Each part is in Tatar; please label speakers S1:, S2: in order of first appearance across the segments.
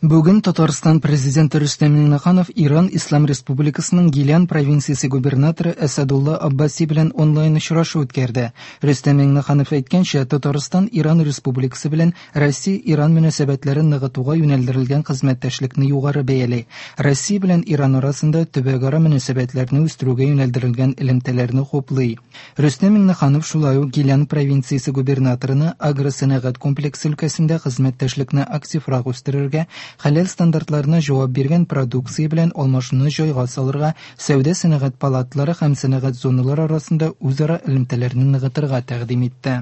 S1: Бүген Татарстан Президенты Рөстәм Миңнеханов Иран Ислам Республикасының Гилян провинциясе губернаторы Әсәдулла Аббаси белән онлайн очрашу үткәрде. Рөстәм Миңнеханов әйткәнчә, Татарстан Иран Республикасы белән Россия-Иран мөнәсәбәтләрен ныгытуга юнәлдерелгән хезмәттәшлекне югары бәяли. Россия белән Иран арасында төбәкара мөнәсәбәтләрне үстерүгә юнәлдерелгән элемтәләрне хуплый. Рөстәм Миңнеханов шулай ук Гилян провинциясе губернаторына агросәнәгать комплексы өлкәсендә хезмәттәшлекне активрак үстерергә, хәләл стандартларына җавап биргән продукция белән алмашуны җайга салырга, сәүдә-сәнәгать палаталары һәм сәнәгать зоналары арасында үзара элемтәләрне ныгытырга тәкъдим итте.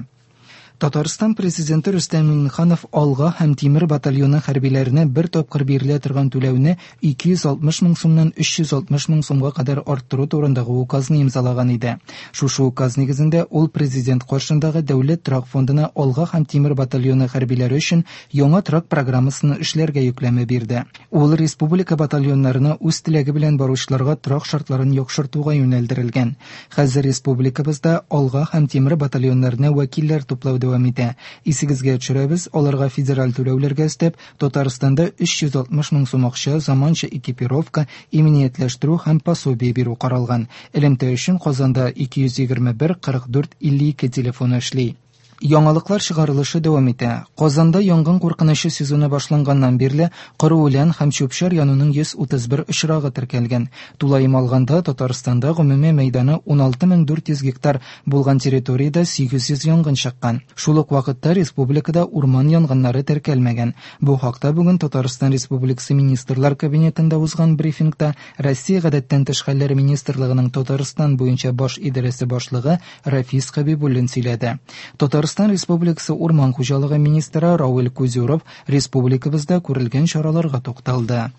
S1: Татарстан Президенты Рөстәм Миңнеханов Алга һәм Тимер батальоны хәрбиләренә бер тапкыр бирелә торган түләүне 260 мең сумнан 360 мең сумга кадәр арттыру турындагы указны имзалаган иде. Шушы указ нигезендә ул Президент каршындагы Дәүләт торак фондына Алга һәм Тимер батальоны хәрбиләре өчен яңа торак программасын эшләргә йөкләмә бирде. Ул республика батальоннарына үз теләге белән баручыларга торак шартларын яхшыртуга юнәлдерелгән. Хәзер республикабызда Алга һәм Тимер батальоннарына вәкилләр туплау дәвам итә. Исегезгә төшерәбез, аларга федераль түләүләргә өстәп, Татарстанда 360 мең сум акча, заманча экипировка, иминиятләштерү һәм пособие бирү каралган. Элемтә өчен Казанда 221 44 52 телефоны эшли. Яңалыклар чыгарылышы дәвам итә. Казанда янгын куркынычы сезоны башланганнан бирле коры үлән һәм чүп-чар януның 131 очрагы теркәлгән. Тулаем алганда, Татарстанда гомуми мәйданы 16400 гектар булган территориядә 800 янгын чыккан. Шул ук вакытта республикада урман янгыннары теркәлмәгән. Бу хакта бүген Татарстан Республикасы Министрлар Кабинетында узган брифингта Россия Гадәттән тыш хәлләр министрлыгының Татарстан буенча баш идарәсе башлыгы Рафис Хәбибуллин сөйләде. Татарстан Республикасы Урман хуҗалыгы министры Равил Кузюров республикабызда күрелгән чараларга тукталды.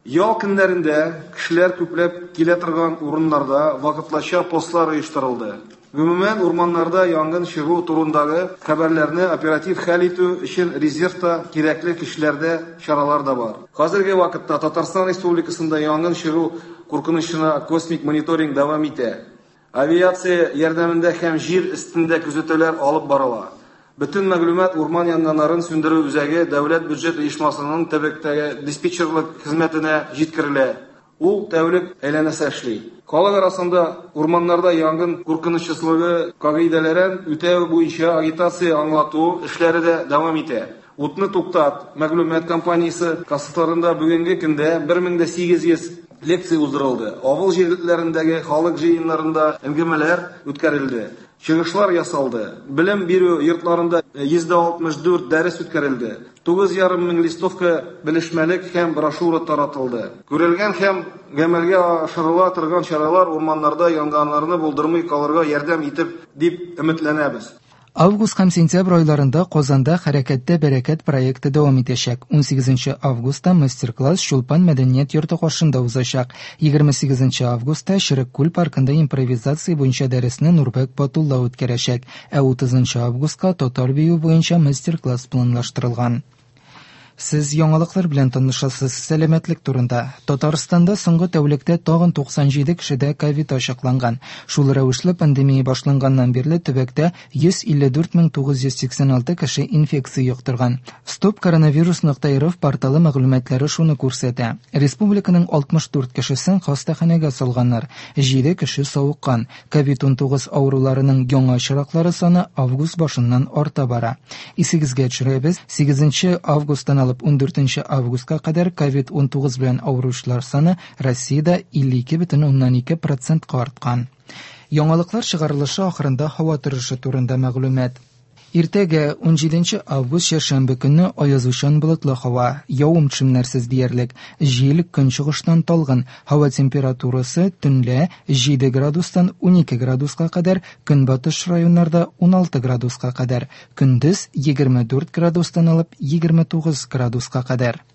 S2: Ял көннәрендә кешеләр күпләп килә торган урыннарда вакытлыча постлар оештырылды. Гомумән, урманнарда янгын чыгу турындагы хәбәрләрне оператив хәл итү өчен резервта кирәкле көчләр дә, чаралар да бар. Хәзерге вакытта Татарстан Республикасында янгын чыгу куркынычына космик мониторинг дәвам итә. Авиация ярдәмендә һәм җир өстендә күзәтүләр алып барыла. Бөтен мәгълүмат Урман янгыннарын сүндерү үзәге дәүләт бюджет оешмасының төбәктәге диспетчерлык хезмәтенә җиткерелә. Ул тәүлек әйләнәсе эшли. Халык арасында урманнарда янгын куркынычсызлыгы кагыйдәләрен үтәү буенча агитация-аңлату эшләре дә дәвам итә. Утны туктат мәгълүмат кампаниясе кысаларында бүгенге көндә 1800 лекция уздырылды. Авыл җирлекләрендәге халык җыеннарында әңгәмәләр үткәрелде, чыгышлар ясалды. Белем бирү йортларында 164 дәрес үткәрелде. 9,5 мең листовка, белешмәлек һәм брошюра таратылды. Күрелгән һәм гамәлгә ашырыла торган чаралар урманнарда янгыннарны булдырмый калырга ярдәм итер дип өметләнәбез.
S1: Август һәм сентябрь айларында Казанда Хәрәкәттә бәрәкәт проекты дәвам итәчәк. 18 августта мастер-класс Чулпан мәдәният йорты каршында узачак. 28 августта Черек күл паркында импровизация буенча дәресне Нурбәк Батулла үткәрәчәк. Ә 30 августка татар бию буенча мастер-класс планлаштырылган. Сез яңалыклар белән танышасыз. Сәламәтлек турында. Татарстанда соңгы тәүлектә тагын 97 кешедә ковид ачыкланган. Шул рәвешле пандемия башланганнан бирле төбәктә 154 986 кеше инфекция йоктырган. Стоп-коронавирус.рф порталы мәгълүматлары шуны күрсәтә. Республиканың 64 кешесен хастаханәгә салганнар, 7 кеше савыккан. Ковид-19 авыруларының яңа очраклары саны август башыннан арта бара. Исегезгә төшерәбез, 8 августтан алып 14 августка кадәр ковид-19 белән авыручылар саны Россиядә 52,2 процентка арткан. Яңалыклар чыгарылышы ахырында һава торышы турында мәгълүмат. Иртәгә 17 август чәршәмбе көнне аязучан болытлы һава, явым-төшемнәрсез диярлек. Җил көнчыгыштан талгын. Һава температурасы төнлә 7 градустан 12 градуска кадәр, көнбатыш районнарда 16 градуска кадәр, көндез 24 градустан алып 29 градуска кадәр.